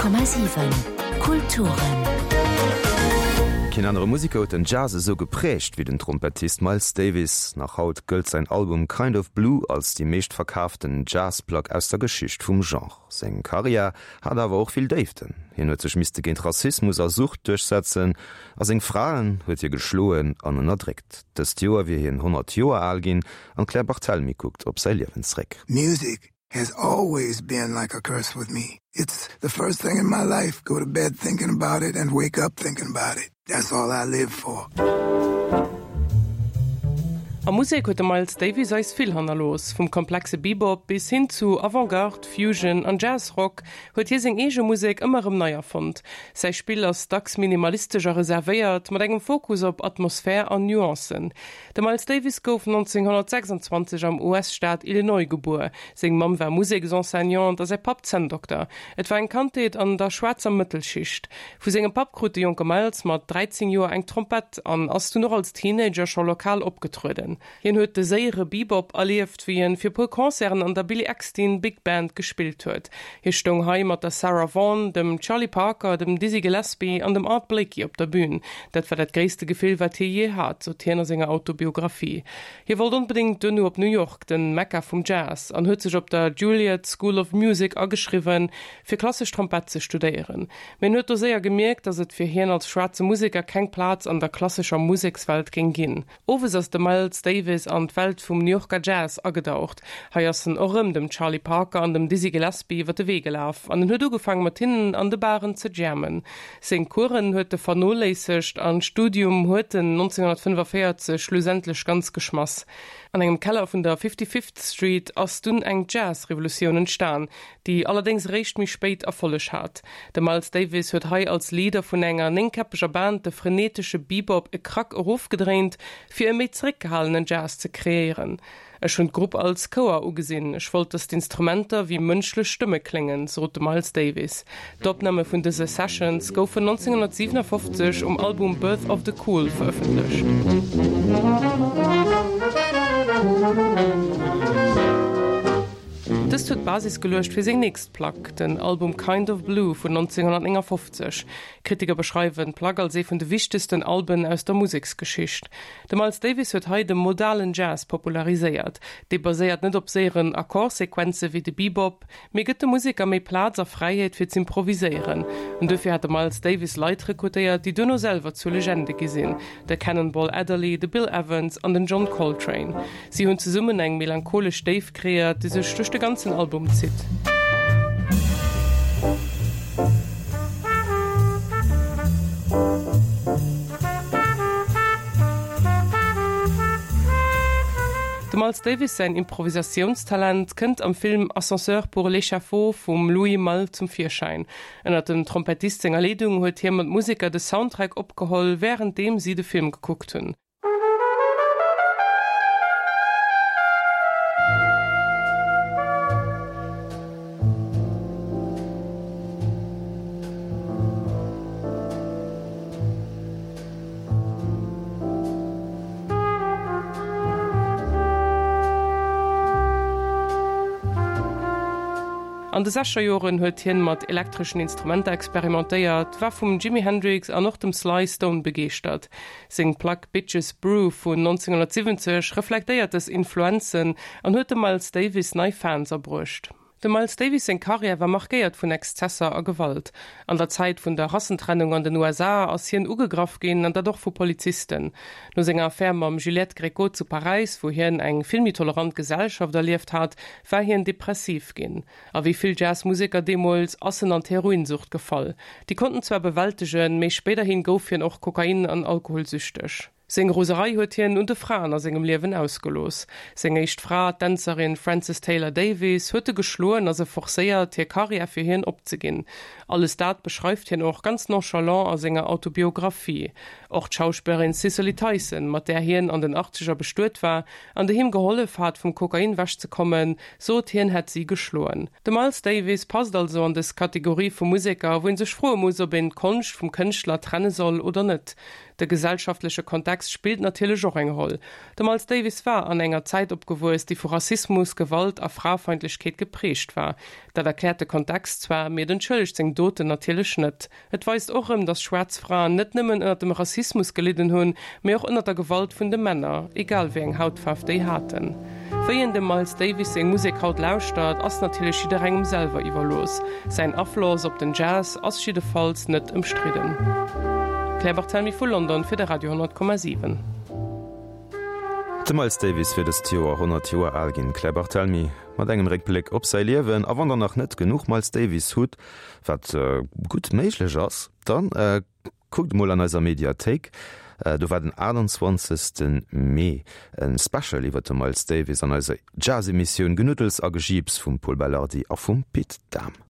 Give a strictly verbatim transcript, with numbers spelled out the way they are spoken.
Komma siwen Kulturen. Keen anere Museker huet den Jazz esou geprägt wéi den Trompettist Miles Davis. Nach haut gëllt säin Album Kind of Blue als déi meeschtverkaaften Jazzplack aus der Geschicht vum Genre. Seng Karriär hat awer och vill Déiften. Hien huet sech misste géint Rassismus a Sucht duerchsetzen a seng Fraen huet hie geschloen an ënnerdréckt. Dëst Joer wier hien honnert Joer al ginn an d'Claire Barthelmy kuckt op säi Liewen zréck. Music has always been like a curse with me. It's the first thing in my life, go to bed thinking about it and wake up thinking about it. That's all I live for. A Musek huet de Miles Davis eis vill hannerlooss. Vum komplexe Bebop bis hin zu Avantgarde, Fusion an Jazzrock huet hie seng eege Musek ëmmer erëm nei erfonnt. Säi Spill ass dacks minimalistesch a reservéiert, mat engem Fokus op Atmosphär an Nuancen. De Miles Davis gouf nonzénghonnertsechsandzwanzeg am U S-Staat Illinois gebuer. Seng Mamm war Museksenseignante a säi Papp Zänndokter. Et war eng Kandheet an der schwaarzer Mëttelschicht. Vu sengem Papp krut de jonke Miles mat dräizéng Joer eng Trompett an ass dunn och als Teenager scho lokal opgetrueden. Hien huet de séiere Bebop erlieft, wéi en fir puer Concerten an der Billy Eckstine Big Band gespillt huet. Hie stoung hei mat der Sarah Vaughan, dem Charlie Parker, dem Dizzy Gillespie an dem Art Blakey op der Bün. Dat war dat gréisste Gefill, wat hie jee hat, sot hien a senger Autobiographie. Hie wollt onbedéngt duerno op New York, den Mekka vum Jazz, an huet sech op der Juilliard School of Music ageschriwwen, fir klassesch Trompett ze studéieren. Mee en huet do séier gemierkt, datt et fir hien als schwaarze Museker keng Plaz an der klassescher Musekswelt géing ginn. Owes ass de Miles Davis an d'Welt vum New Yorker Jazz agedaucht. Hei ass en och rëm dem Charlie Parker an dem Dizzy Gillespie iwwer de Wee gelaf an en huet ugefaangen, mat hinnen an de Baren ze jammen. Seng Coursen huet e vernoléissegt an d'Studium huet en nonzénghonnertfënnefenvéierzeg schlussendlech ganz geschmass. An engem Keller vun der Fifty-Fifth Street ass dunn eng Jazz-Revolutioun entstan, déi allerdéngs réischt méi spéit Erfolleg hat. De Miles Davis huet hei als Leader vun enger néngkäppeger Band de frenetesche Bebop e Krack erofgedréint, fir e méi zeréckgehalenen Jazz ze kreéieren. Ech hunn d'Grupp als Chouer ugesinn, ech wollt, dass d'Instrumenter wéi mënschlech Stëmme kléngen, sot de Miles Davis. D'Opname vun dëse Sessions goufen nonzénghonnertsiwenaofzeg um Album Birth of the Cool verëffentlecht. Dëst huet d'Basis geluecht fir seng nächst Plack, den Album Kind of Blue vun nonzénghonnertnéngafofzeg. Kritiker beschreiwen d'Plack als ee vun de wichtegsten Alben aus der Museksgeschicht. De Miles Davis huet hei de modalen Jazz populariséiert. Dee baséiert net op séieren Akkordsequenze wéi de Bebop, mee gëtt de Museker méi Plaz a Fräiheet fir z'improviséieren. An dofir hat de Miles Davis Leit rekrutéiert, déi duerno selwer zu Legende gi sinn, de Cannonball Adderley, de Bill Evans an den John Coltrane. Si hunn zesummen eng melancholesch Déift kreéiert, déi sech duerch de ganzen Album zitt. Dem Miles Davis säin Improvisatiounstalent kënnt am Film Ascenseur pour l'échafaud vum Louis Malle zum Virschäin. Ënner dem Trompettist senger Leedung huet hie mat Museker de Soundtrack opgeholl, wärenddeem si de Film gekuckt hunn. An de Sechzegerjoren huet hien mat elektreschen Instrumenter experimentéiert, war vum Jimi Hendrix an och dem Sly Stone begeeschtert. Seng Plack Bitches Brew vun nonzénghonnertsiwwenzeg reflektéiert dës Influenzen an huet dem Miles Davis nei Fans abruecht. Dem Miles Davis seng Karriär war markéiert vun Exzesser a Gewalt. An der Zäit vun der Rassentrennung an den U S A ass hien ugegraff ginn, an dat och vu Polizisten. No senger Affär mam Juliette Gréco zu Paräis, wou hien eng vill méi tolerant Gesellschaft erlieft hat, war hien depressiv ginn. A wéi vill Jazzmuseker deemools ass en an d'Heroinsucht gefall. Déi konnt en zwar bewältegen, mee spéiderhin gouf hien och Kokain an alkoholsüchteg. Seng Roserei huet hien un de Fraen a sengem Liewen ausgelooss. Seng éischt Fra, d'Dänzerin Frances Taylor Davis, huet e geschloen a se forcéiert, hir Karriär fir hien opzeginn. Alles dat beschreift hien och ganz nonchalant a senger Autobiographie. Och d'Schauspillerin Cicely Tyson, mat där hien an den Achtzeger bestuet war an déi him gehollef hat, vum Kokain ewechzekommen, sot, hien hätt si geschloen. De Miles Davis passt also an dës Kategorie vu Museker, wou een sech froe muss, ob een d'Konscht vum Kënschtler trenne soll oder net. De gesellschaftleche Kontext spillt natierlech och eng Roll. De Miles Davis war an enger Zäit opgewuess, déi vu Rassismus, Gewalt a Fraefeindlechkeet geprägt war. Dat erkläert de Kontext zwar, mee et entschëllegt seng Doten natierlech net. Et weist och erëm, dass schwaarz Fraen net nëmmen ënner dem Rassismus gelidden hunn, mee och ënner der Gewalt vun de Männer, egal wéi eng Hautfaarf déi haten. Wéi een dem Miles Davis seng Musek haut lauschtert, ass natierlech jidderengem selwer iwwerlooss. Säin Afloss op den Jazz ass jiddefalls net ëmstridden. Claire Barthelmy vu London fir de Radio honnert Komma siwen. De Miles Davis wier dëst Joer honnert Joer al ginn. Claire Barthelmy mat engem Réckbléck op säi Liewen. A wann der nach net genuch Miles Davis hutt, wat gutt méiglech ass, dann kuckt emol an eiser Mediathéik. Do war den achttanzwanzegste Mee e Special iwwer de Miles Davis an eiser Jazz-Emissioun Genuddels a Gejiips vum Pol Belardi a vum Pit Dahm.